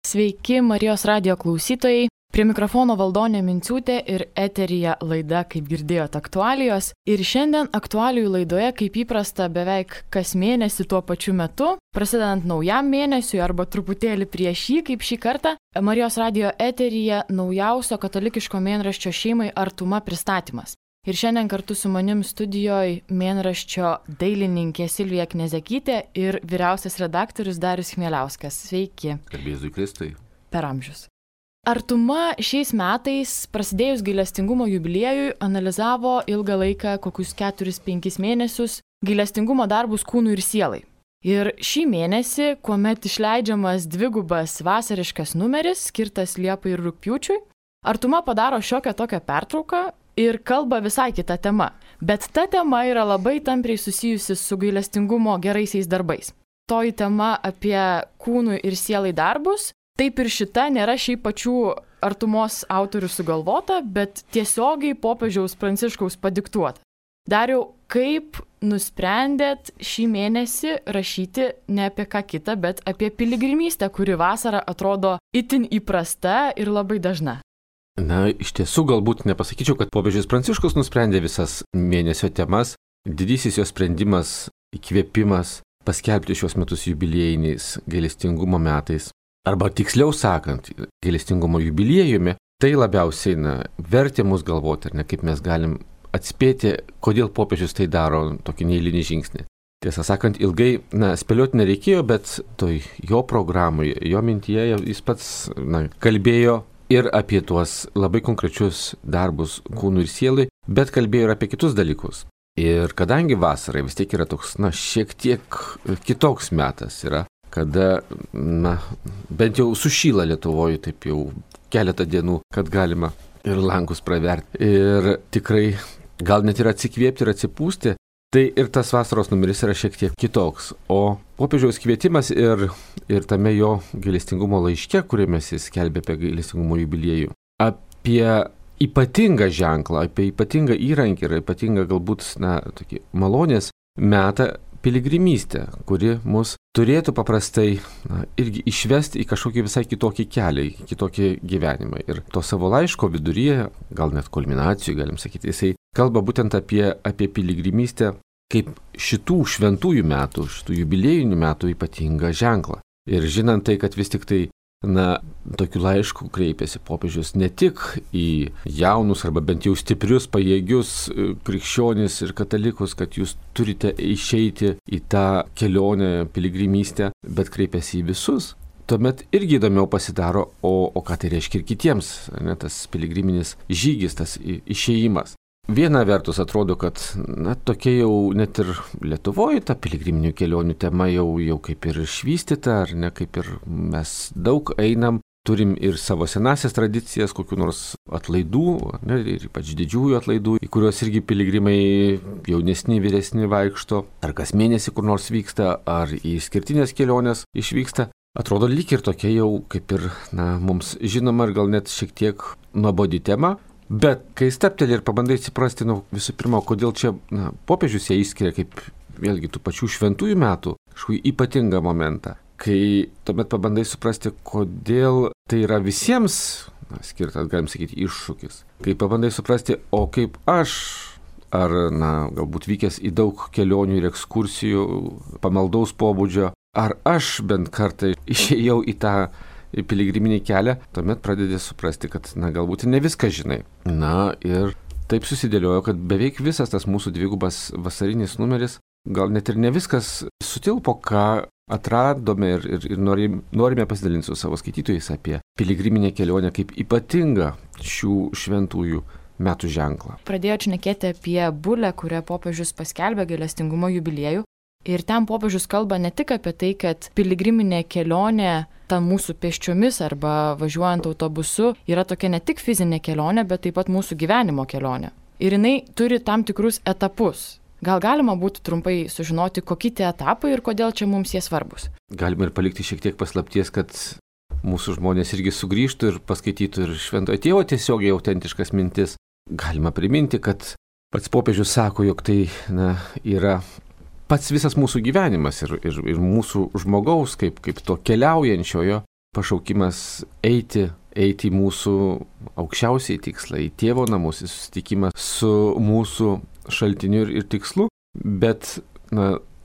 Sveiki Marijos radijo klausytojai, prie mikrofono Valdonė Minciūtė ir eteryje laida, kaip girdėjote, aktualijos. Ir šiandien aktualijų laidoje, kaip įprasta, beveik kas mėnesį tuo pačiu metu, prasidedant naujam mėnesiui arba truputėlį prieš jį, kaip šį kartą, Marijos radijo eteryje naujausio katalikiško mėnraščio šeimai Artuma pristatymas. Ir šiandien kartu su manim studijoje mėnraščio dailininkė Silvija Knezekytė ir vyriausias redaktorius Darius Chmieliauskas. Sveiki. Garbėzui Kristui. Per amžius. Artuma šiais metais, prasidėjus gailestingumo jubiliejui, analizavo ilgą laiką, kokius 4-5 mėnesius, gailestingumo darbus kūnui ir sielai. Ir šį mėnesį, kuomet išleidžiamas dvigubas vasariškas numeris, skirtas Liepai ir Rugpjūčiui, Artuma padaro šiokią tokią pertrauką ir kalba visai kita tema. Bet ta tema yra labai tampriai susijusi su gailestingumo geraisiais darbais. Toji tema apie kūnui ir sielai darbus, taip ir šita nėra šiaip pačių Artumos autorių sugalvota, bet tiesiogiai popiežiaus Pranciškaus padiktuota. Dariau, kaip nusprendėt šį mėnesį rašyti ne apie ką kitą, bet apie piligrimystę, kuri vasarą atrodo itin įprasta ir labai dažna? Na, iš tiesų galbūt nepasakyčiau, kad popiežius Pranciškus nusprendė visas mėnesio temas. Didysis jo sprendimas, įkvėpimas paskelbti šios metus jubiliejiniais gailestingumo metais. Arba tiksliau sakant, gailestingumo jubiliejumi, tai labiausiai vertė mus galvoti, ar ne, kaip mes galim atspėti, kodėl popiežius tai daro tokį neeilinį žingsnį. Tiesą sakant, ilgai spėlioti nereikėjo, bet toj jo programoje, jo mintyje jis pats kalbėjo ir apie tuos labai konkrečius darbus kūnui ir sielai, bet kalbėjo ir apie kitus dalykus. Ir kadangi vasarai vis tiek yra toks, šiek tiek kitoks metas yra, kada, bent jau sušyla Lietuvoje taip jau keletą dienų, kad galima ir langus praverti. Ir tikrai gal net ir atsikvėpti ir atsipūsti, tai ir tas vasaros numeris yra šiek tiek kitoks. O popiežiaus kvietimas ir tame jo gailestingumo laiške, kuriame jis skelbė apie gailestingumo jubiliejų, apie ypatingą ženklą, apie ypatingą įrankį ir ypatingą galbūt tokį malonės metą piligrimystę, kuri mus turėtų paprastai irgi išvesti į kažkokį visai kitokį kelią, į kitokį gyvenimą. Ir to savo laiško viduryje, gal net kulminacijų, galim sakyti, jisai kalba būtent apie piligrimystę kaip šitų šventųjų metų, šitų jubiliejinių metų ypatingą ženklą. Ir žinant tai, kad vis tik tai, tokiu laišku kreipėsi popiežius ne tik į jaunus arba bent jau stiprius, pajėgius krikščionis ir katalikus, kad jūs turite išeiti į tą kelionę, piligrimystę, bet kreipėsi į visus. Tuomet irgi įdomiau pasidaro, o ką tai reiškia ir kitiems, tas piligriminis žygis, tas išėjimas. Viena vertus atrodo, kad tokia jau net ir Lietuvoje ta piligriminių kelionių tema jau kaip ir išvystyta, ar ne, kaip ir mes daug einam, turim ir savo senasias tradicijas, kokių nors atlaidų, ir ypač didžiųjų atlaidų, į kuriuos irgi piligrimai jaunesni, vyresni vaikšto, ar kas mėnesį kur nors vyksta, ar į skirtinės kelionės išvyksta. Atrodo lyg ir tokia jau kaip ir mums žinoma ir gal net šiek tiek nuobodi tema. Bet kai stapteli ir pabandai suprasti, visų pirma, kodėl čia popiežius ją išskiria kaip vėlgi tų pačių šventųjų metų kažkokį ypatingą momentą, kai tuomet pabandai suprasti, kodėl tai yra visiems skirtas, galim sakyti, iššūkis. Kai pabandai suprasti, o kaip aš, ar galbūt vykęs į daug kelionių ir ekskursijų, pamaldaus pobūdžio, ar aš bent kartą išėjau į tą piligriminį kelią, tuomet pradedi suprasti, kad galbūt ne viską žinai. Ir taip susidėliojo, kad beveik visas tas mūsų dvigubas vasarinis numeris, gal net ir ne viskas sutilpo, ką atradome ir norime pasidalinti su savo skaitytojais apie piligriminę kelionę kaip ypatingą šių šventųjų metų ženklą. Pradėjau šnekėti apie bulę, kurią popiežius paskelbė gailestingumo jubiliejų. Ir ten popiežius kalba ne tik apie tai, kad piligriminė kelionė, ta mūsų pėsčiomis arba važiuojant autobusu, yra tokia ne tik fizinė kelionė, bet taip pat mūsų gyvenimo kelionė. Ir jinai turi tam tikrus etapus. Gal galima būtų trumpai sužinoti, kokie tie etapai ir kodėl čia mums jie svarbus? Galima ir palikti šiek tiek paslapties, kad mūsų žmonės irgi sugrįžtų ir paskaitytų ir šventojo tėvo tiesiogiai autentiškas mintis. Galima priminti, kad pats popiežius sako, jog tai yra pats visas mūsų gyvenimas ir mūsų žmogaus, kaip to keliaujančiojo pašaukimas eiti į mūsų aukščiausiai tikslą, į tėvo namus, į susitikimą su mūsų šaltiniu ir tikslu, bet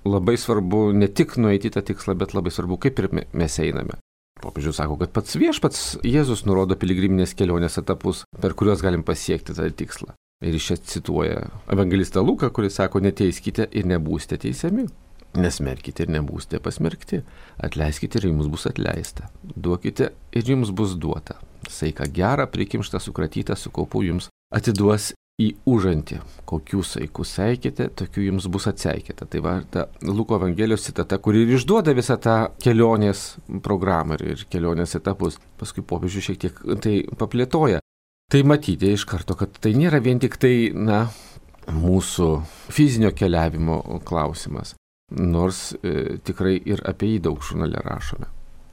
labai svarbu ne tik nueiti į tą tikslą, bet labai svarbu, kaip ir mes einame. Popiežius sako, kad pats viešpats Jėzus nurodo piligriminės kelionės etapus, per kuriuos galim pasiekti tą tikslą. Ir iš čia cituoja evangelistą Luką, kuris sako, neteiskite ir nebūsite teisiami. Nesmerkite ir nebūsite pasmerkti. Atleiskite ir jums bus atleista. Duokite ir jums bus duota. Saiką gerą, prikimštą, sukratytą, su kaupu jums atiduos į užantį. Kokių saikų seikite, tokių jums bus atseikėta. Tai va, ta Luko Evangelijos citata, kuri ir išduoda visą tą kelionės programą ir kelionės etapus. Paskui popiežius šiek tiek tai paplėtoja. Tai matyti iš karto, kad tai nėra vien tik tai, mūsų fizinio keliavimo klausimas. Nors tikrai ir apie jį daug žurnale rašome.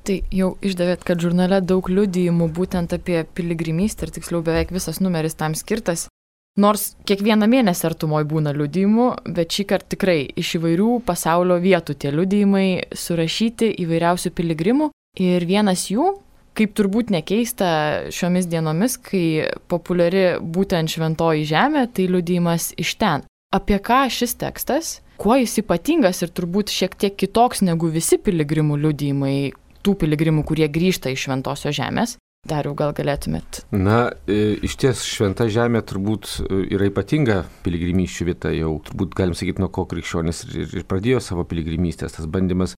Tai jau išdavėt, kad žurnale daug liudijimų būtent apie piligrimystę ir tiksliau beveik visas numeris tam skirtas. Nors kiekvieną mėnesį artumoje būna liudijimų, bet šį kartą tikrai iš įvairių pasaulio vietų tie liudijimai surašyti įvairiausių piligrimų. Ir vienas jų, kaip turbūt nekeista šiomis dienomis, kai populiari būtent šventoji žemė, tai liudijimas iš ten. Apie ką šis tekstas? Kuo jis ypatingas ir turbūt šiek tiek kitoks negu visi piligrimų liudijimai, tų piligrimų, kurie grįžta iš šventosios žemės? Dariau, gal galėtumėt? Iš ties šventa žemė turbūt yra ypatinga piligrimysčių vieta, jau turbūt galim sakyti, nuo ko krikščionys ir pradėjo savo piligrimystės, tas bandymas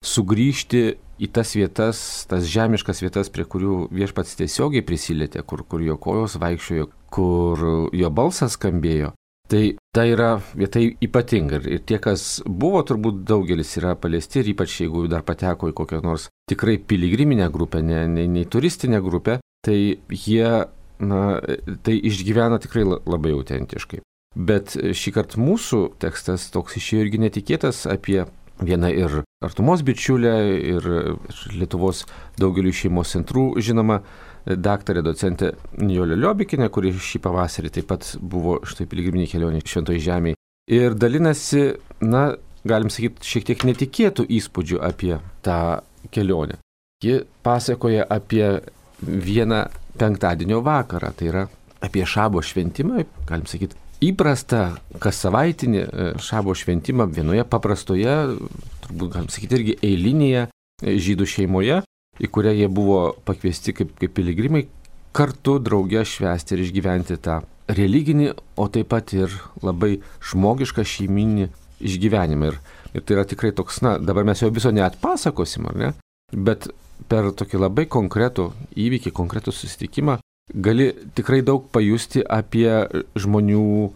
sugrįžti į tas vietas, tas žemiškas vietas, prie kurių viešpats tiesiogiai prisilietė, kur jo kojos vaikščiojo, kur jo balsas skambėjo. Tai yra vieta ypatinga ir tie, kas buvo, turbūt daugelis yra paliesti ir ypač jeigu dar pateko į kokią nors tikrai piligriminę grupę, ne turistinę grupę, tai jie tai išgyvena tikrai labai autentiškai. Bet šį kartą mūsų tekstas toks išėjo irgi netikėtas apie vieną ir artumos bičiulę ir Lietuvos daugelių šeimos centrų žinoma daktarė docentė Nijolė Liobikinė, kuri šį pavasarį taip pat buvo štai piligriminė kelionė šventoje žemėje. Ir dalinasi, galim sakyti, šiek tiek netikėtų įspūdžių apie tą kelionę. Ji pasakoja apie vieną penktadienio vakarą, tai yra apie šabo šventimą, galim sakyti, įprastą kas savaitinį šabo šventimą vienoje paprastoje, turbūt galim sakyti irgi eilinėje žydų šeimoje, į kurią jie buvo pakviesti kaip piligrimai, kartu drauge švęsti ir išgyventi tą religinį, o taip pat ir labai žmogišką šeiminį išgyvenimą. Ir tai yra tikrai toks, dabar mes jo viso neatpasakosim, ar ne? Bet per tokį labai konkretų įvykį, konkretų susitikimą, gali tikrai daug pajusti apie žmonių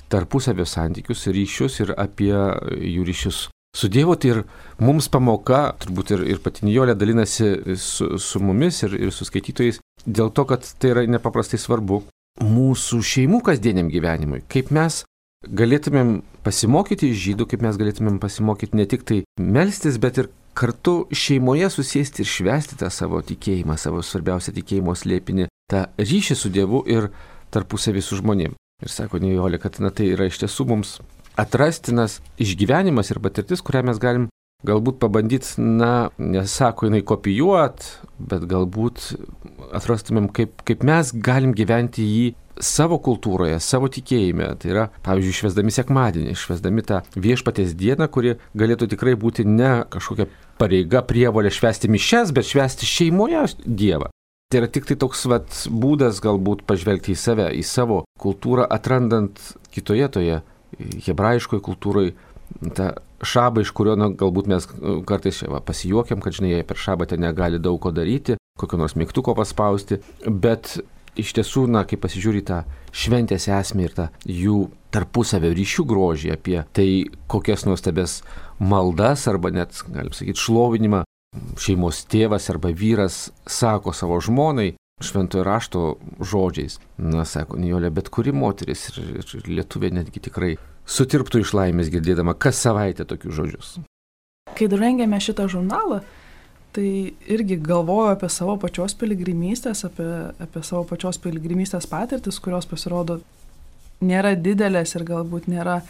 tarpusavio santykius, ryšius ir apie jų ryšius su Dievu. Tai ir mums pamoka, turbūt ir pati Nijolė dalinasi su mumis ir su skaitytojais, dėl to, kad tai yra nepaprastai svarbu mūsų šeimų kasdieniam gyvenimui. Kaip mes galėtumėm pasimokyti iš žydų, kaip mes galėtumėm pasimokyti ne tik tai melstis, bet ir kartu šeimoje susėsti ir švęsti tą savo tikėjimą, savo svarbiausią tikėjimo slėpinį, tą ryšį su Dievu ir tarpusavį su žmonėm. Ir sako Nijolė, kad tai yra iš tiesų mums atrastinas išgyvenimas ir patirtis, kurią mes galim galbūt pabandyti, nesako jinai kopijuot, bet galbūt atrastumėm, kaip mes galim gyventi jį savo kultūroje, savo tikėjime. Tai yra, pavyzdžiui, švęsdami sekmadienį, švęsdami tą viešpaties dieną, kuri galėtų tikrai būti ne kažkokia pareiga, prievolė švęsti mišias, bet švęsti šeimoje Dievą. Tai yra tik tai toks būdas galbūt pažvelgti į save, į savo kultūrą, atrandant kitoje toje hebrajiškoje kultūroje tą šabą, iš kurio galbūt mes kartais pasijuokiam, kad žinai, jie per šabą ten negali daug ko daryti, kokio nors mygtuko paspausti, bet iš tiesų, kai pasižiūri tą šventės esmę ir tą jų tarpusavio ryšių grožį, apie tai, kokias nuostabės maldas arba net, galim sakyti, šlovinimą šeimos tėvas arba vyras sako savo žmonai šventojo rašto žodžiais. Sako Nijolė, bet kuri moteris ir lietuvė netgi tikrai sutirptų iš laimės girdėdama kas savaitę tokius žodžius. Kai rengėme šitą žurnalą, tai irgi galvoju apie savo pačios piligrimystės, apie savo pačios piligrimystės patirtis, kurios pasirodo nėra didelės ir galbūt nėra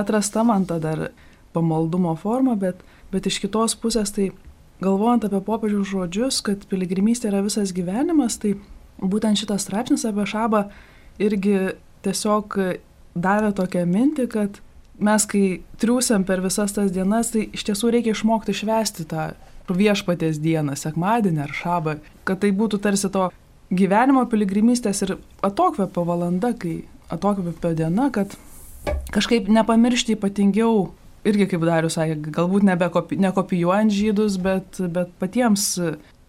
atrasta man ta dar pamaldumo forma, bet iš kitos pusės tai galvojant apie popiežiaus žodžius, kad piligrimystė yra visas gyvenimas, tai būtent šitas straipsnis apie Šabą irgi tiesiog davė tokią mintį, kad mes, kai triūsiam per visas tas dienas, tai iš tiesų reikia išmokti švęsti tą viešpaties dieną, sekmadienį ar Šabą, kad tai būtų tarsi to gyvenimo piligrimystės ir atokvėpio valanda, kai atokvėpio diena, kad kažkaip nepamiršti ypatingiau, irgi kaip Darius sakė, galbūt nekopijuojant žydus, bet patiems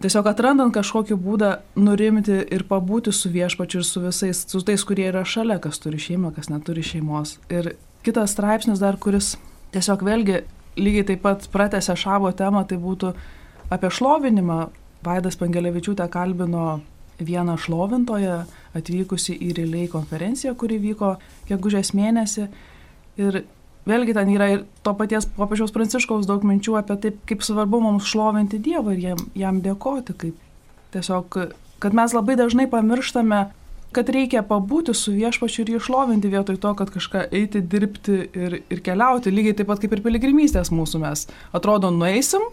tiesiog atrandant kažkokį būdą nurimti ir pabūti su viešpačiu ir su visais, su tais, kurie yra šalia, kas turi šeimą, kas neturi šeimos. Ir kitas straipsnis dar, kuris tiesiog vėlgi lygiai taip pat pratęsė Šabo temą, tai būtų apie šlovinimą. Vaidas Pangelevičiūtė kalbino vieną šlovintoją atvykusi į Relay konferenciją, kuri vyko gegužės mėnesį. Ir vėlgi ten yra ir to paties popiežiaus Pranciškaus daug minčių apie taip, kaip svarbu mums šlovinti Dievą ir jam dėkoti. Kaip tiesiog, kad mes labai dažnai pamirštame, kad reikia pabūti su viešpačiu ir jį šlovinti vietoj to, kad kažką eiti, dirbti ir keliauti. Lygiai taip pat kaip ir piligrimystės mūsų mes. Atrodo, nueisim,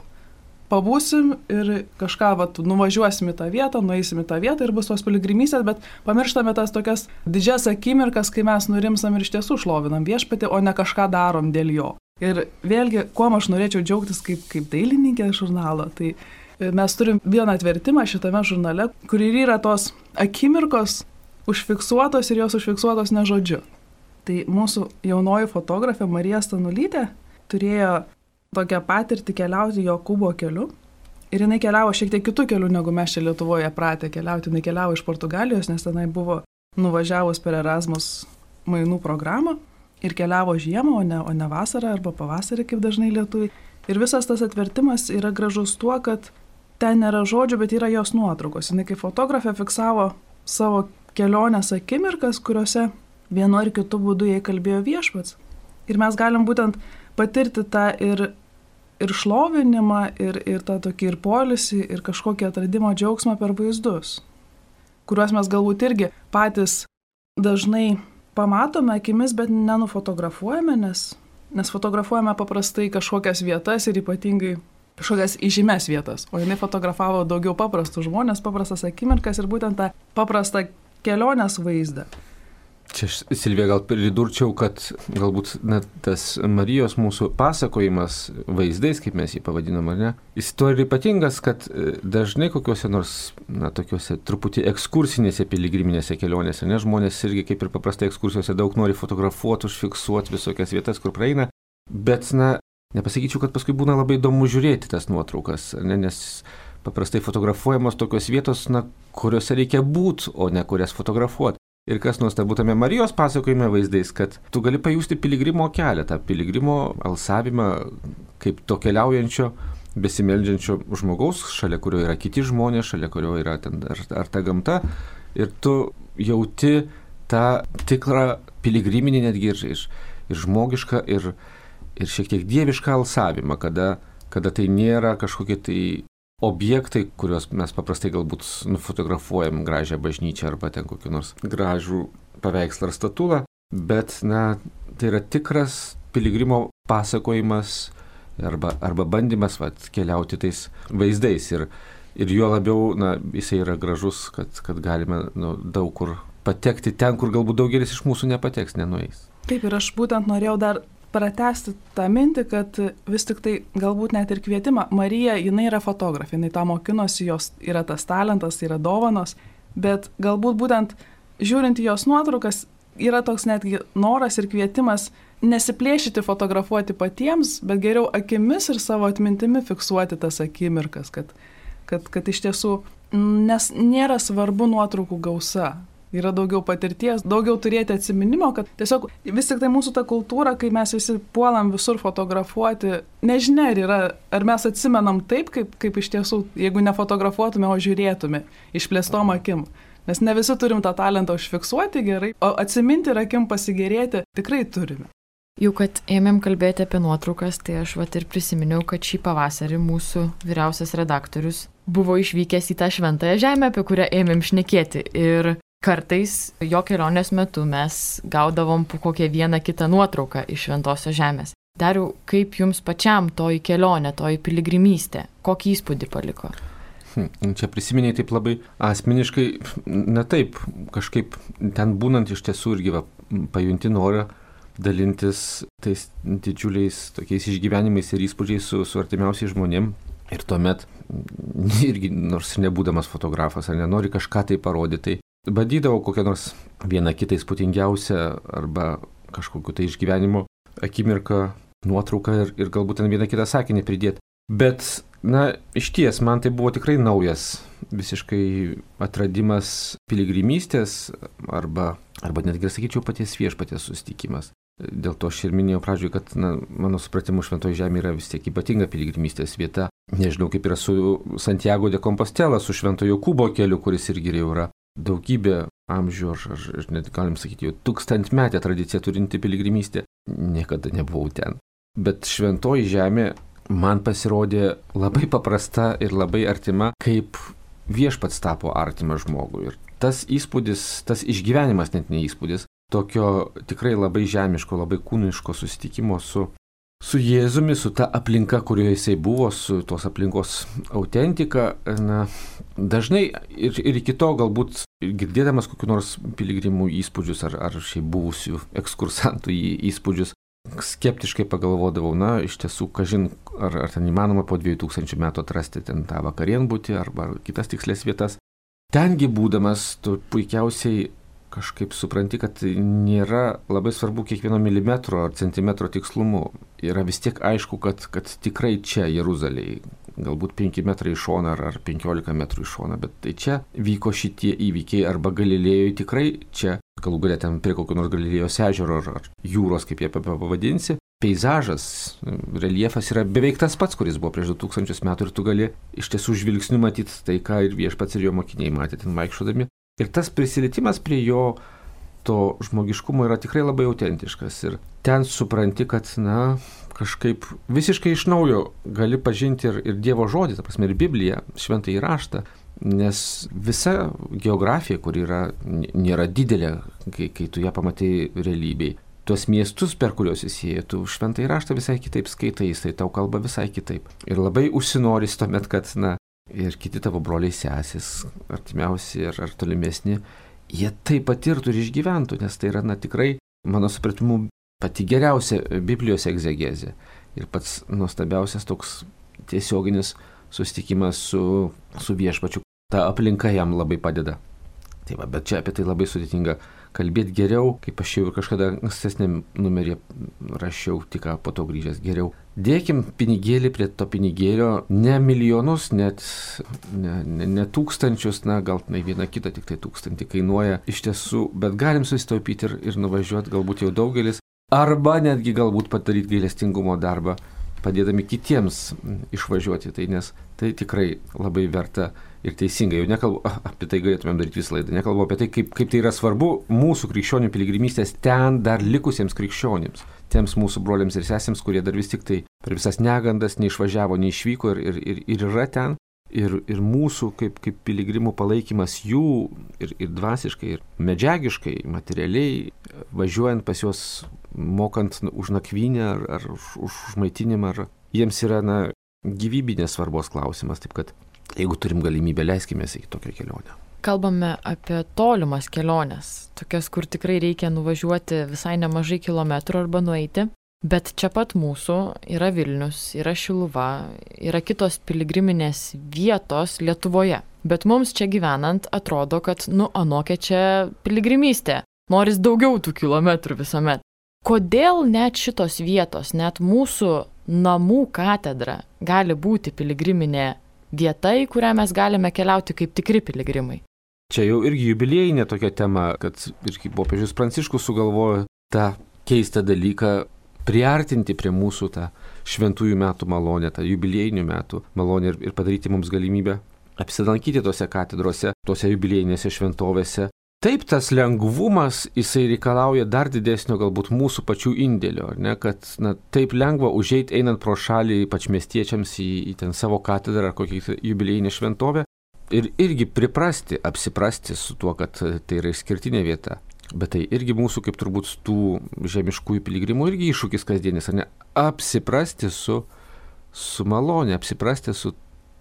pabūsim ir kažką nuvažiuosim į tą vietą, nueisim į tą vietą ir bus tos piligrimystės, bet pamirštame tas tokias didžias akimirkas, kai mes nurimsam ir iš tiesų šlovinam viešpatį, o ne kažką darom dėl jo. Ir vėlgi, kuo aš norėčiau džiaugtis kaip dailininkė žurnalo, tai mes turim vieną atvertimą šitame žurnale, kur ir yra tos akimirkos užfiksuotos ir jos užfiksuotos ne žodžiu. Tai mūsų jaunoji fotografė Marija Stanulytė turėjo tokią patirtį keliauti Jokūbo keliu. Ir jinai keliavo šiek tiek kitų kelių, negu mes čia Lietuvoje pratę keliauti. Jinai keliavo iš Portugalijos, nes tenai buvo nuvažiavus per Erasmus mainų programą ir keliavo žiemą, o ne vasarą arba pavasarį, kaip dažnai lietuviai. Ir visas tas atvertimas yra gražus tuo, kad ten nėra žodžių, bet yra jos nuotraukos. Jinai kaip fotografė fiksavo savo kelionės akimirkas, kuriuose vienu ar kitu būdu jai kalbėjo viešpats. Ir mes galim būtent patirti tą ir šlovinimą, ir tą tokį ir poilsį, ir kažkokį atradimo džiaugsmą per vaizdus, kuriuos mes galbūt irgi patys dažnai pamatome akimis, bet nenufotografuojame, nes fotografuojame paprastai kažkokias vietas ir ypatingai kažkokias įžymes vietas. O jinai fotografavo daugiau paprastus žmonės, paprastas akimirkas ir būtent tą paprastą kelionės vaizdą. Čia Silvija gal pridurčiau, kad galbūt net tas Marijos mūsų pasakojimas vaizdais, kaip mes jį pavadinom, ar ne, jis to ir ypatingas, kad dažnai kokiuose nors, tokiuose truputį ekskursinėse piligriminėse kelionėse, ne, žmonės irgi kaip ir paprastai ekskursijose daug nori fotografuoti, užfiksuoti visokias vietas, kur praeina, bet, nepasakyčiau, kad paskui būna labai įdomu žiūrėti tas nuotraukas, ne, nes paprastai fotografuojamos tokios vietos, kuriuose reikia būti, o ne kurias fotografuoti. Ir kas nuostabu tame Marijos pasakojime vaizdais, kad tu gali pajusti piligrimo kelią, tą piligrimo alsavimą kaip to keliaujančio, besimeldžiančio žmogaus, šalia kurio yra kiti žmonės, šalia kurio yra ten ar ta gamta. Ir tu jauti tą tikrą piligriminį netgi ir žmogišką, ir šiek tiek dievišką alsavimą, kada tai nėra kažkokie tai objektai, kuriuos mes paprastai galbūt nufotografuojam gražią bažnyčią arba ten kokį nors gražų paveikslą ar statulą, bet tai yra tikras piligrimo pasakojimas arba bandymas keliauti tais vaizdais ir juo labiau jisai yra gražus, kad galime daug kur patekti ten, kur galbūt daugelis iš mūsų nepateks, nenueis. Taip, ir aš būtent norėjau dar pratęsti tą mintį, kad vis tik tai galbūt net ir kvietimą. Marija, jinai yra fotografė, jinai tą mokinosi, jos yra tas talentas, yra dovanos, bet galbūt būtent žiūrint į jos nuotraukas yra toks netgi noras ir kvietimas nesiplėšyti fotografuoti patiems, bet geriau akimis ir savo atmintimi fiksuoti tas akimirkas, kad iš tiesų, nes nėra svarbu nuotraukų gausa. Yra daugiau patirties, daugiau turėti atsiminimo, kad tiesiog vis tik tai mūsų ta kultūra, kai mes visi puolam visur fotografuoti, nežinia, ar mes atsimenam taip, kaip iš tiesų, jeigu nefotografuotume, o žiūrėtume išplėstom akim. Nes ne visi turim tą talentą užfiksuoti gerai, o atsiminti ir akim pasigėrėti tikrai turime. Jau kad ėmėm kalbėti apie nuotraukas, tai aš ir prisiminiau, kad šį pavasarį mūsų vyriausias redaktorius buvo išvykęs į tą šventąją žemę, apie kurią ėmėm šnekėti. Ir kartais jo kelionės metu mes gaudavom po kokią vieną kitą nuotrauką iš šventosios žemės. Dariau, kaip jums pačiam toji kelionė, toji piligrimystė, kokį įspūdį paliko? Čia prisiminiai taip labai asmeniškai, na taip, kažkaip ten būnant iš tiesų irgi pajunti norą dalintis tais didžiuliais tokiais išgyvenimais ir įspūdžiais su artimiausiais žmonėm. Ir tuomet irgi, nors nebūdamas fotografas, ar nenori kažką tai parodyti, tai bandydavau kokią nors vieną kitą įspūdingiausią arba kažkokiu tai išgyvenimo akimirką, nuotrauką ir galbūt ten vieną kitą sakinį pridėti. Bet, na, išties, man tai buvo tikrai naujas visiškai atradimas piligrimystės arba netgi, sakyčiau, paties viešpaties susitikimas. Dėl to aš ir minėjau pradžioje, kad mano supratimu Šventoji Žemė yra vis tiek ypatinga piligrimystės vieta. Nežinau, kaip yra su Santiago de Compostela, su Šventojo Jokūbo keliu, kuris irgi jau yra daugybė amžių, ar net galim sakyti, jau 1000-metę tradiciją turinti piligrimystė. Niekada nebuvau ten. Bet Šventoji Žemė man pasirodė labai paprasta ir labai artima, kaip viešpats tapo artimas žmogui. Ir tas įspūdis, tas išgyvenimas, net ne įspūdis, tokio tikrai labai žemiško, labai kūniško susitikimo su Jėzumi, su ta aplinka, kurioje jisai buvo, su tos aplinkos autentika. Dažnai ir iki to galbūt girdėdamas kokiu nors piligrimų įspūdžius ar šiaip buvusių ekskursantų įspūdžius, skeptiškai pagalvodavau, iš tiesų, kažin, ar ten įmanoma po 2000 metų atrasti ten tą vakarienbutį arba kitas tikslės vietas. Tengi būdamas, tu puikiausiai kažkaip supranti, kad nėra labai svarbu kiekvieno milimetro ar centimetro tikslumu. Yra vis tiek aišku, kad tikrai čia Jeruzalėje, galbūt 5 metrai iš šono ar 15 metrų iš šono, bet tai čia vyko šitie įvykiai arba Galilėjoje tikrai čia, galų galia ten prie kokio nors Galilėjos ežero ar jūros, kaip jie pavadinsi, peizažas, reljefas yra beveik tas pats, kuris buvo prieš 2000 metų ir tu gali iš tiesų žvilgsniu matyti tai, ką ir viešpats ir jo mokiniai matė ten vaikščiodami. Ir tas prisilietimas prie jo to žmogiškumo yra tikrai labai autentiškas. Ir ten supranti, kad, kažkaip visiškai iš naujo gali pažinti ir Dievo žodį, ta prasme ir Bibliją, šventąjį raštą, nes visa geografija, kur nėra didelė, kai tu ją pamatai realybėj. Tuos miestus, per kuriuos įsieji, tu šventąjį raštą visai kitaip skaitai, jisai tau kalba visai kitaip. Ir labai užsinoris tuomet, kad, ir kiti tavo broliai sesis, artimiausi ar tolimesni, jie tai patirtų ir išgyventų, nes tai yra tikrai, mano supratimu, pati geriausia Biblijos egzegezė ir pats nuostabiausias toks tiesioginis susitikimas su viešpačiu. Ta aplinka jam labai padeda. Tai va, bet čia apie tai labai sudėtinga kalbėti geriau, kaip aš jau ir kažkada ankstesnėm numerį rašiau, tik po to grįžęs geriau. Dėkim pinigėlį prie to pinigėlio, ne milijonus, net ne tūkstančius, gal vieną kitą tik tai 1000 kainuoja iš tiesų, bet galim susitaupyti ir nuvažiuoti galbūt jau daugelis, arba netgi galbūt padaryti gailestingumo darbą, padėdami kitiems išvažiuoti, nes tai tikrai labai verta ir teisinga. Jau nekalbu, apie tai galėtumėm daryti visą laidą, nekalbu apie tai, kaip tai yra svarbu mūsų krikščionių piligrimystės ten dar likusiems krikščionims, tiems mūsų broliams ir sesėms, kurie dar vis tik tai per visas negandas neišvažiavo, neišvyko ir yra ten. Ir mūsų kaip piligrimų palaikymas jų ir dvasiškai, ir medžiagiškai, materialiai, važiuojant pas juos, mokant už nakvynę ar už maitinimą, jiems yra gyvybinės svarbos klausimas. Taip kad jeigu turim galimybę, leiskimės į tokią kelionę. Kalbame apie tolimas keliones, tokias, kur tikrai reikia nuvažiuoti visai nemažai kilometrų arba nueiti. Bet čia pat mūsų yra Vilnius, yra Šiluva, yra kitos piligriminės vietos Lietuvoje. Bet mums čia gyvenant atrodo, kad anokia čia piligrimystė. Noris daugiau tų kilometrų visuomet. Kodėl net šitos vietos, net mūsų namų katedra gali būti piligriminė vieta, į kurią mes galime keliauti kaip tikri piligrimai? Čia jau irgi jubiliejinė tokia tema, kad irgi popiežius Pranciškus sugalvojo tą keistą dalyką priartinti prie mūsų tą šventųjų metų malonę, tą jubiliejinių metų malonę ir padaryti mums galimybę apsilankyti tose katedrose, tose jubiliejinėse šventovėse. Taip, tas lengvumas, jisai reikalauja dar didesnio galbūt mūsų pačių indėlio, kad taip lengva užeiti einant pro šalį, ypač miestiečiams į ten savo katedrą ar kokią jubiliejinę šventovę ir irgi apsiprasti su tuo, kad tai yra išskirtinė vieta. Bet tai irgi mūsų, kaip turbūt tų žemiškųjų piligrimų, irgi iššūkis kasdienis, ar ne? Apsiprasti su malonė, apsiprasti su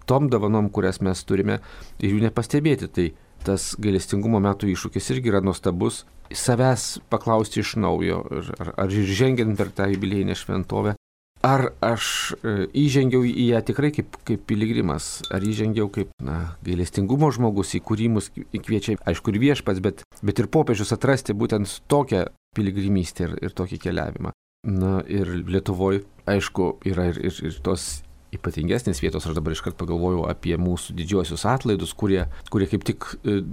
tom dovanom, kurias mes turime ir jų nepastebėti. Tai tas gailestingumo metų iššūkis irgi yra nuostabus. Savęs paklausti iš naujo, ar žengiant per tą jubiliejinę šventovę, ar aš įžengiau į ją tikrai kaip piligrimas, ar įžengiau kaip gailestingumo žmogus, į kurį mus kviečia, aišku, ir viešpats, bet ir popiežius atrasti būtent tokią piligrimystę ir tokį keliavimą. Na ir Lietuvoje, aišku, yra ir tos ypatingesnės vietos. Aš dabar iškart pagalvojau apie mūsų didžiuosius atlaidus, kurie kaip tik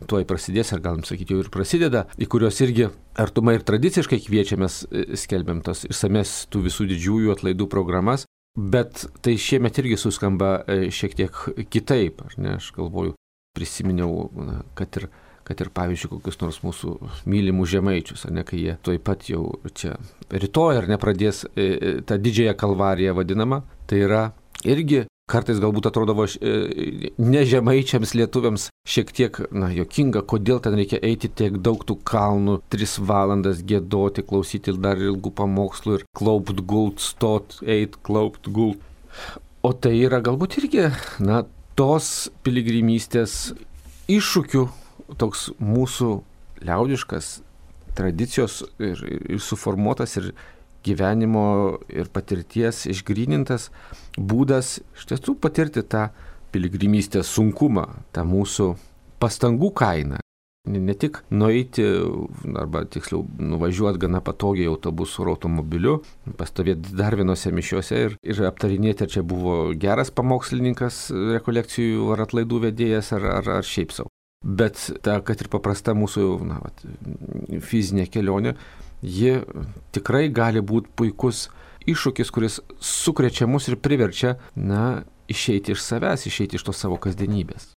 tuoj prasidės, ar galim sakyti, jau ir prasideda, į kuriuos irgi artumai ir tradiciškai kviečiamės, skelbiam tas išsames tų visų didžiųjų atlaidų programas, bet tai šiemet irgi suskamba šiek tiek kitaip, ar ne? Aš galvoju, prisiminiau, kad ir pavyzdžiui, kokius nors mūsų mylimų žemaičius, ar ne, kai jie tuoj pat jau čia rytoj, ar ne, pradės tą didžiąją kalvariją vadinamą, tai yra irgi kartais galbūt atrodavo ne žemaičiams lietuviams šiek tiek, juokinga, kodėl ten reikia eiti tiek daug tų kalnų, 3 valandas giedoti, klausyti dar ilgų pamokslų ir klaupt, gult, stot, eit, klaupt, gult. O tai yra galbūt irgi, tos piligrimystės iššūkių, toks mūsų liaudiškas tradicijos ir suformuotas ir gyvenimo ir patirties išgrynintas būdas iš tiesų patirti tą piligrimystės sunkumą, tą mūsų pastangų kainą. Ne tik nueiti, arba tiksliau nuvažiuoti gana patogiai autobusu ar automobiliu, pastovėti dar vienose mišiuose ir aptarinėti, ar čia buvo geras pamokslininkas, rekolekcijų ar atlaidų vedėjas, ar šiaip savo. Bet ta, kad ir paprasta mūsų fizinė kelionė, ji tikrai gali būti puikus iššūkis, kuris sukrečia mus ir priverčia, išeiti iš savęs, išeiti iš tos savo kasdienybės.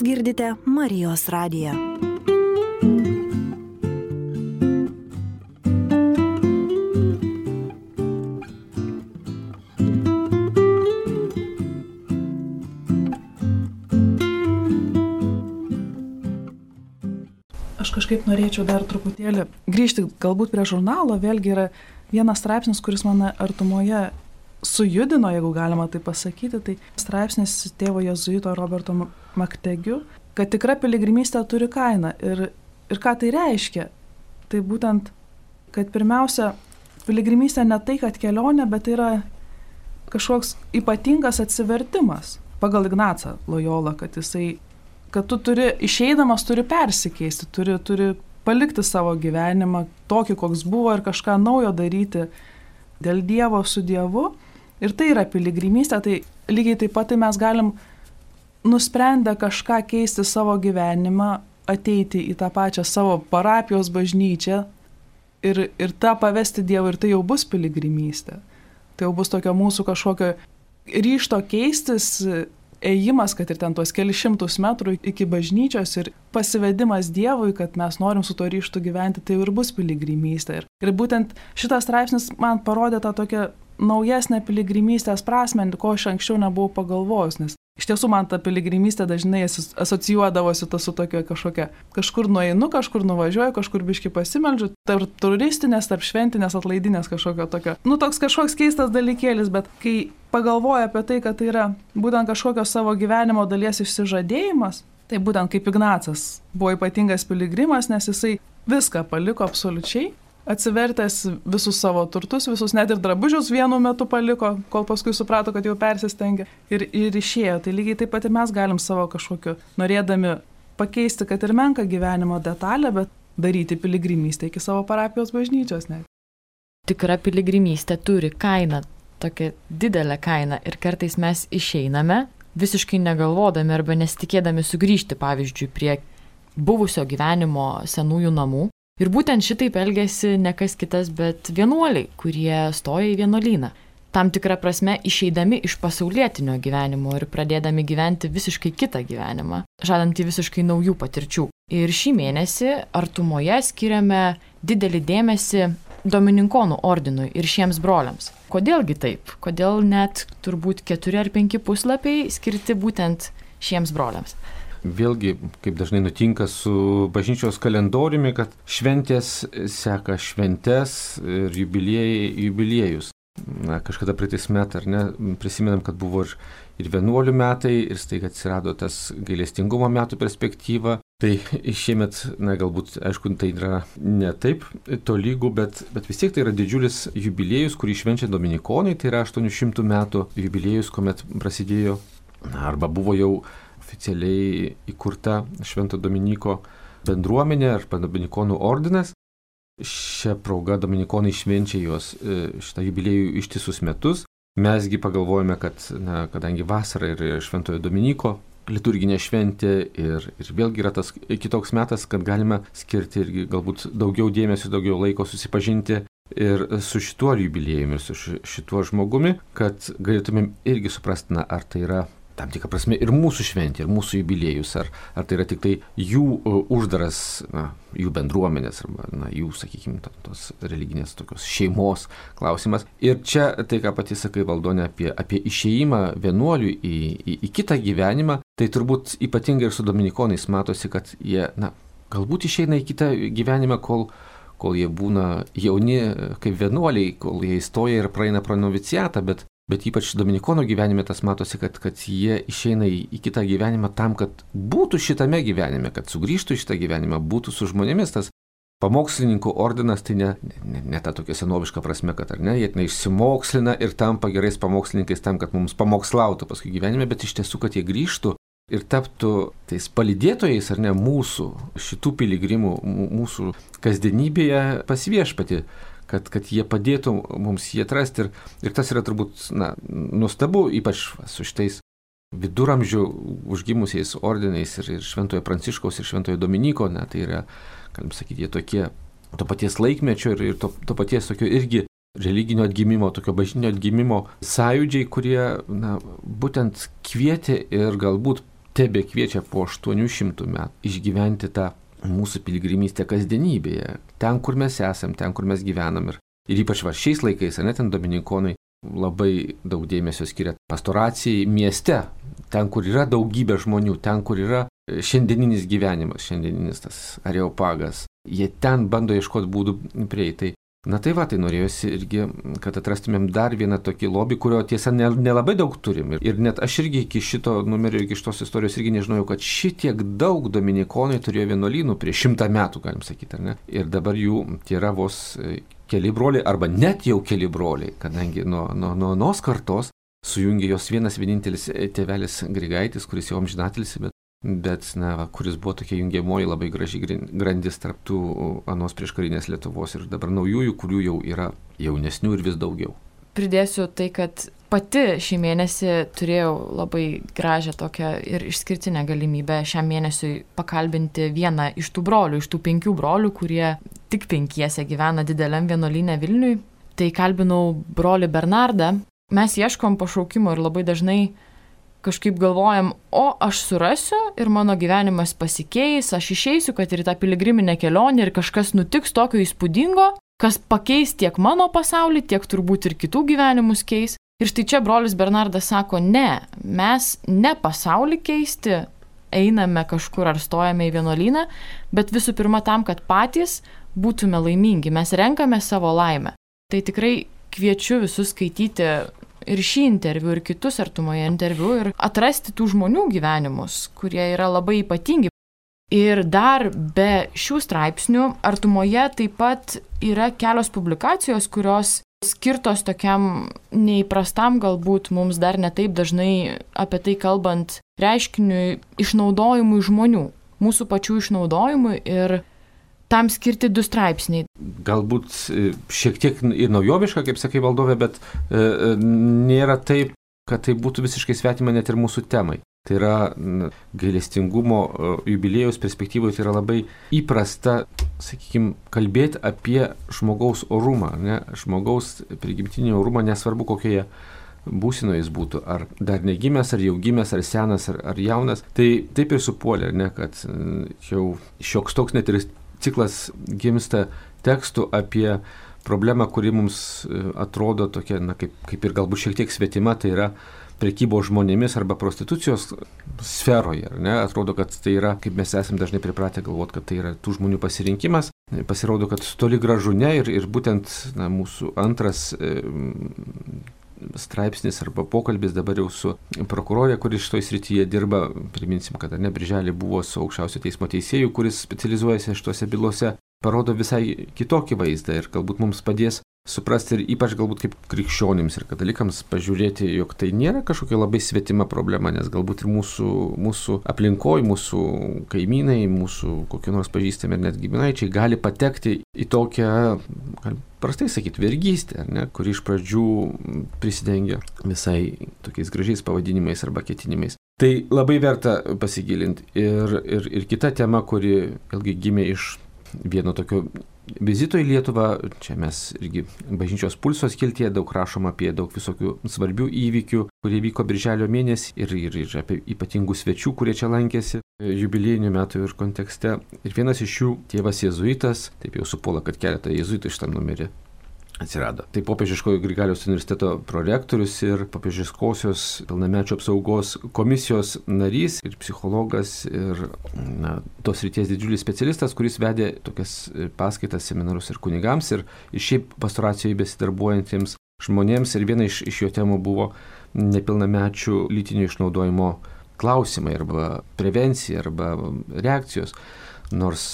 Girdite Marijos radiją. Aš kažkaip norėčiau dar truputėlį grįžti galbūt prie žurnalo. Vėlgi yra vienas straipsnis, kuris mane artumoje sujudino, jeigu galima tai pasakyti. Tai straipsnis tėvo jėzuito Roberto Maktegiu, kad tikra piligrimystė turi kainą. Ir ką tai reiškia? Tai būtent, kad pirmiausia, piligrimystė ne tai, kad kelionė, bet tai yra kažkoks ypatingas atsivertimas. Pagal Ignacą Lojolą, kad tu turi, išeidamas turi persikeisti, turi palikti savo gyvenimą tokį, koks buvo ir kažką naujo daryti dėl Dievo su Dievu. Ir tai yra piligrimystė, tai lygiai taip pat tai mes galim nusprendę kažką keisti savo gyvenimą, ateiti į tą pačią savo parapijos bažnyčią ir tą pavesti Dievui, ir tai jau bus piligrimystė. Tai jau bus tokio mūsų kažkokio ryžto keistis, ėjimas, kad ir ten tuos kelius šimtus metrų iki bažnyčios ir pasivedimas Dievui, kad mes norim su to ryžtu gyventi, tai ir bus piligrimystė. Ir būtent šitas straipsnis man parodė tą tokią naujesnę piligrimystės prasmę, ko aš anksčiau nebuvau pagalvojus, nes iš tiesų man ta piligrimystė dažnai asocijuodavosi su tokia kažkokia, kažkur nueinu, kažkur nuvažiuoju, kažkur biški pasimeldžiu, tarp turistinės, tarp šventinės, atlaidinės kažkokio tokio. Toks kažkoks keistas dalykėlis, bet kai pagalvoju apie tai, kad tai yra būtent kažkokio savo gyvenimo dalies išsižadėjimas, tai būtent kaip Ignacas buvo ypatingas piligrimas, nes jisai viską paliko absoliučiai, atsivertęs visus savo turtus, visus net ir drabužius vienu metu paliko, kol paskui suprato, kad jau persistengė ir išėjo. Tai lygiai taip pat ir mes galim savo kažkokiu, norėdami pakeisti, kad ir menką gyvenimo detalę, bet daryti piligrimystę iki savo parapijos bažnyčios. Net. Tikra piligrimystė turi kainą, tokią didelę kainą, ir kartais mes išeiname, visiškai negalvodami arba nesitikėdami sugrįžti, pavyzdžiui, prie buvusio gyvenimo senųjų namų. Ir būtent šitaip elgėsi ne kas kitas, bet vienuoliai, kurie stoja į vienuolyną. Tam tikrą prasme išeidami iš pasaulietinio gyvenimo ir pradėdami gyventi visiškai kitą gyvenimą, žadantį visiškai naujų patirčių. Ir šį mėnesį Artumoje skiriame didelį dėmesį Domininkonų ordinui ir šiems broliams. Kodėlgi taip? Kodėl net turbūt 4 ar 5 puslapiai skirti būtent šiems broliams? Vėlgi, kaip dažnai nutinka su bažnyčios kalendoriumi, kad šventės seka šventes ir jubiliejus. Kažkada praeitais metais, ar ne, prisimenam, kad buvo ir vienuolių metai, ir staiga atsirado tas gailestingumo metų perspektyva. Tai šiemet, galbūt, aišku, tai yra ne taip tolygų, bet vis tiek tai yra didžiulis jubiliejus, kurį švenčia dominikonai, tai yra 800 metų jubiliejus, kuomet prasidėjo, arba buvo jau oficialiai įkurta Švento Dominiko bendruomenė arba Dominikonų ordinas. Šią progą dominikonai švenčia jos šitą jubiliejų ištisus metus. Mesgi pagalvojame, kad kadangi vasara ir Šventojo Dominiko liturginė šventė ir vėlgi yra tas kitoks metas, kad galime skirti irgi galbūt daugiau dėmesio, daugiau laiko susipažinti ir su šituo jubiliejumi, ir su šituo žmogumi, kad galėtumėm irgi suprasti, ar tai yra tam tikrą prasme ir mūsų šventė, ir mūsų jubiliejus, ar tai yra tik tai jų uždaras, jų bendruomenės, arba jų, sakykime, tos religinės tokios šeimos klausimas. Ir čia tai, ką pati sakai, Valdone, apie išėjimą vienuolių į kitą gyvenimą, tai turbūt ypatingai ir su dominikonais matosi, kad jie, galbūt išeina į kitą gyvenimą, kol jie būna jauni kaip vienuoliai, kol jie įstoja ir praeina pro noviciatą, bet ypač dominikonų gyvenime tas matosi, kad jie išeina į kitą gyvenimą tam, kad būtų šitame gyvenime, kad sugrįžtų į šitą gyvenimą, būtų su žmonėmis. Tas pamokslininkų ordinas tai ne ta tokia senoviška prasme, kad ar ne, jie išsimokslina ir tampa gerais pamokslininkais tam, kad mums pamokslautų paskui gyvenime, bet iš tiesų, kad jie grįžtų ir taptų tais palydėtojais, ar ne, mūsų šitų piligrimų, mūsų kasdienybėje pas Viešpatį. Kad jie padėtų mums jį atrasti ir tas yra turbūt nuostabu, ypač su šitais viduramžių užgimusiais ordinais ir Šventojo Pranciškaus ir Šventojo Dominiko, tai yra, galim sakyti, jie tokie to paties laikmečio ir to paties tokio irgi religinio atgimimo, tokio bažnytinio atgimimo sąjūdžiai, kurie būtent kvietė ir galbūt tebe kviečia po 800 metų išgyventi tą mūsų piligrimystę kasdienybėje, ten, kur mes esam, ten, kur mes gyvenam. Ir ypač šiais laikais, ten dominikonai labai daug dėmesio skiria pastoracijai mieste, ten, kur yra daugybė žmonių, ten, kur yra šiandieninis gyvenimas, šiandieninis tas areopagas. Jie ten bando ieškoti būdų prieiti. Tai norėjosi irgi, kad atrastumėm dar vieną tokį lobį, kurio tiesa nelabai daug turim. Ir net aš irgi iki šito numerio, iki šitos istorijos irgi nežinojau, kad šitiek daug dominikonai turėjo vienuolynų prieš 100 metų, galim sakyti, ar ne? Ir dabar jų yra vos keli broliai, arba net jau keli broliai, kadangi nuo kartos sujungė jos vienas vienintelis tėvelis Grigaitis, kuris jau amžinatelis, bet kuris buvo tokia jungiamoji labai graži grandis tarptų anos prieškarinės Lietuvos ir dabar naujųjų, kurių jau yra jaunesnių ir vis daugiau. Pridėsiu tai, kad pati šį mėnesį turėjau labai gražią tokią ir išskirtinę galimybę šiam mėnesiui pakalbinti vieną iš tų brolių, iš tų 5 brolių, kurie tik 5 gyvena dideliam vienuolyne Vilniui. Tai kalbinau brolį Bernardą. Mes ieškom pašaukimo ir labai dažnai kažkaip galvojam, aš surasiu ir mano gyvenimas pasikeis, aš išeisiu, kad ir tą piligriminę kelionę ir kažkas nutiks tokio įspūdingo, kas pakeis tiek mano pasaulį, tiek turbūt ir kitų gyvenimus keis. Ir štai čia brolis Bernardas sako, ne, mes ne pasaulį keisti einame kažkur ar stojame į vienuolyną, bet visų pirma tam, kad patys būtume laimingi, mes renkame savo laimę. Tai tikrai kviečiu visus skaityti ir šį interviu, ir kitus Artumoje interviu ir atrasti tų žmonių gyvenimus, kurie yra labai ypatingi. Ir dar be šių straipsnių Artumoje taip pat yra kelios publikacijos, kurios skirtos tokiam neįprastam, galbūt mums dar netaip dažnai apie tai kalbant, reiškiniui išnaudojimui žmonių, mūsų pačių išnaudojimui ir tam skirti 2 straipsniai. Galbūt šiek tiek ir naujoviška, kaip sakai Valdove, bet nėra taip kad tai būtų visiškai svetima net ir mūsų temai. Tai yra gailestingumo jubiliejaus perspektyvoje, tai yra labai įprasta, sakykime, kalbėti apie žmogaus orumą, ne? Žmogaus prigimtinį orumą, nesvarbu kokioje būsinoje jis būtų, ar dar negimęs, ar jau gimęs, ar senas, ar jaunas. Tai taip ir supuolė, ne, kad jau šioks toks net ir ciklas gimsta tekstų apie problemą, kuri mums atrodo tokia, na, kaip ir galbūt šiek tiek svetima, tai yra prekybos žmonėmis arba prostitucijos sferoje. Ne? Atrodo, kad tai yra, kaip mes esame dažnai pripratę galvoti, kad tai yra tų žmonių pasirinkimas. Pasirodo, kad toli gražu ne ir būtent mūsų antras straipsnis arba pokalbis dabar jau su prokurorė, kuris šitoj srityje dirba. Priminsim, kad birželį buvo su aukščiausio teismo teisėju, kuris specializuojasi šituose bylose, parodo visai kitokį vaizdą ir galbūt mums padės suprasti ir ypač galbūt kaip krikščionims ir katalikams pažiūrėti, jog tai nėra kažkokia labai svetima problema, nes galbūt ir mūsų aplinkoje, mūsų kaimynai, mūsų kokie nors pažįstami ir net giminaičiai gali patekti į tokią, prastai sakyti, vergystę, kuri iš pradžių prisidengia visai tokiais gražiais pavadinimais arba ketinimais. Tai labai verta pasigilinti. Ir kita tema, kuri vėlgi gimė iš vieno tokio vizito į Lietuvą, čia mes irgi bažnyčios pulso skiltyje daug rašoma apie daug visokių svarbių įvykių, kurie vyko birželio mėnesį ir apie ypatingų svečių, kurie čia lankėsi jubiliejinių metų ir kontekste. Ir vienas iš jų tėvas jėzuitas, taip jau supuola, kad keletą jėzuitų šitam numerį atsirado. Tai Popiežiškojo Grigaliaus universiteto prorektorius ir Popiežiškosios pilnamečių apsaugos komisijos narys ir psichologas ir tos srities didžiulis specialistas, kuris vedė tokias paskaitas, seminarus ir kunigams ir šiaip pastoracijoje besidarbuojantiems žmonėms. Ir viena iš jo temų buvo nepilnamečių lytinio išnaudojimo klausimai arba prevencija arba reakcijos. Nors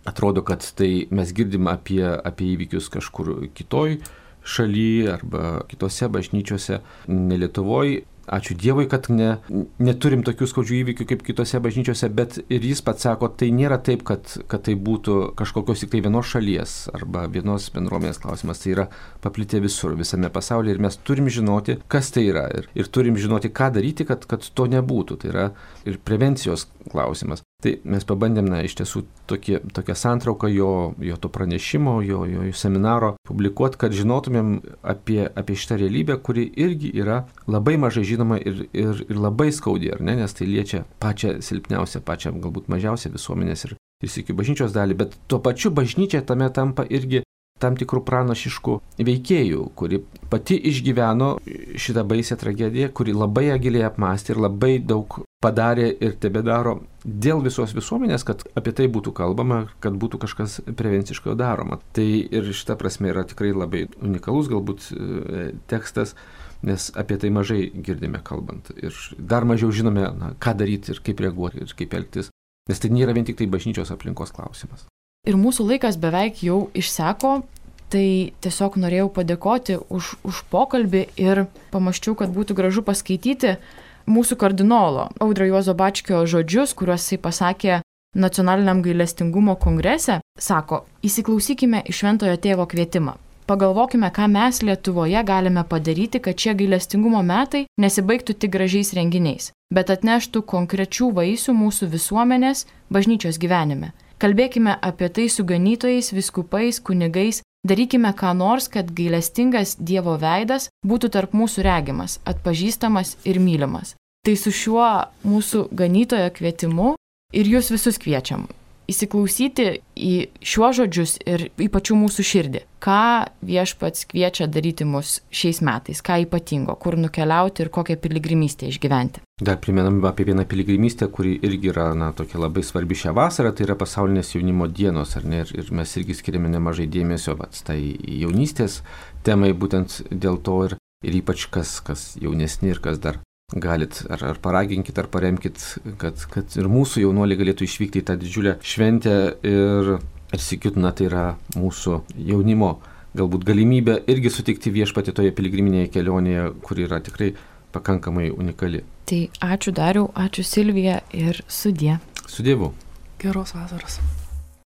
atrodo, kad tai mes girdim apie įvykius kažkur kitoj šaly arba kitose bažnyčiose, ne Lietuvoje. Ačiū Dievui, kad neturim tokių skaudžių įvykių kaip kitose bažnyčiose, bet ir jis pats sako, tai nėra taip, kad tai būtų kažkokios tik tai vienos šalies arba vienos bendruomenės klausimas. Tai yra paplitę visur, visame pasaulyje ir mes turim žinoti, kas tai yra ir turim žinoti, ką daryti, kad to nebūtų. Tai yra ir prevencijos klausimas. Tai mes pabandėm, iš tiesų, tokią santrauką jo to pranešimo, jo seminaro publikuoti, kad žinotumėm apie šitą realybę, kuri irgi yra labai mažai žinoma ir labai skaudi, ar ne? Nes tai liečia pačią silpniausią, pačią galbūt mažiausią visuomenės ir iki bažnyčios dalį, bet tuo pačiu bažnyčia tame tampa irgi tam tikrų pranašiškų veikėjų, kuri pati išgyveno šitą baisę tragediją, kuri labai giliai apmąstė ir labai daug padarė ir tebedaro dėl visos visuomenės, kad apie tai būtų kalbama, kad būtų kažkas prevenciškai daroma. Tai ir šita prasme yra tikrai labai unikalus galbūt tekstas, nes apie tai mažai girdime kalbant. Ir dar mažiau žinome, ką daryti ir kaip reaguoti ir kaip elgtis, nes tai nėra vien tik tai bažnyčios aplinkos klausimas. Ir mūsų laikas beveik jau išseko, tai tiesiog norėjau padėkoti už pokalbį ir pamąsčiau, kad būtų gražu paskaityti mūsų kardinolo Audrio Juozo Bačkio žodžius, kuriuos jisai pasakė Nacionaliniam gailestingumo kongrese. Sako, įsiklausykime į Šventojo Tėvo kvietimą. Pagalvokime, ką mes Lietuvoje galime padaryti, kad šie gailestingumo metai nesibaigtų tik gražiais renginiais, bet atneštų konkrečių vaisių mūsų visuomenės, bažnyčios gyvenime. Kalbėkime apie tai su ganytojais, vyskupais, kunigais, darykime ką nors, kad gailestingas Dievo veidas būtų tarp mūsų regimas, atpažįstamas ir mylimas. Tai su šiuo mūsų ganytojo kvietimu ir jūs visus kviečiam įsiklausyti į šiuos žodžius ir į pačių mūsų širdį. Ką Viešpats kviečia daryti mus šiais metais, ką ypatingo, kur nukeliauti ir kokią piligrimystę išgyventi. Dar primenam apie vieną piligrimystę, kuri irgi yra tokia labai svarbi šią vasarą, tai yra pasaulinės jaunimo dienos, ar ne? Ir mes irgi skiriame nemažai dėmesio tai jaunystės temai, būtent dėl to ir ypač kas jaunesni ir kas dar galit, ar paraginkit, ar paremkit, kad ir mūsų jaunuoliai galėtų išvykti į tą didžiulę šventę ir sakyt, tai yra mūsų jaunimo galbūt galimybė irgi sutikti Viešpatį toje piligriminėje kelionėje, kuri yra tikrai pakankamai unikali. Tai ačiū Dariau, ačiū Silvija ir sudie. Su Dievu. Geros vasaros.